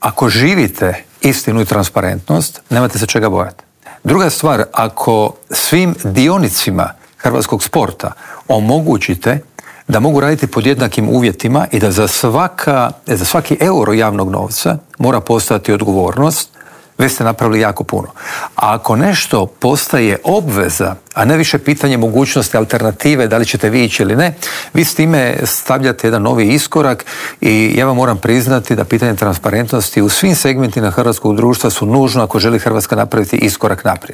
ako živite istinu i transparentnost, nemate se čega bojati. Druga stvar, ako svim dionicima hrvatskog sporta omogućite da mogu raditi pod jednakim uvjetima i da za svaki euro javnog novca mora postojati odgovornost, već ste napravili jako puno. A ako nešto postaje obveza, a ne više pitanje mogućnosti alternative, da li ćete vi ići ili ne, vi s time stavljate jedan novi iskorak i ja vam moram priznati da pitanje transparentnosti u svim segmentima hrvatskog društva su nužno ako želi Hrvatska napraviti iskorak naprijed.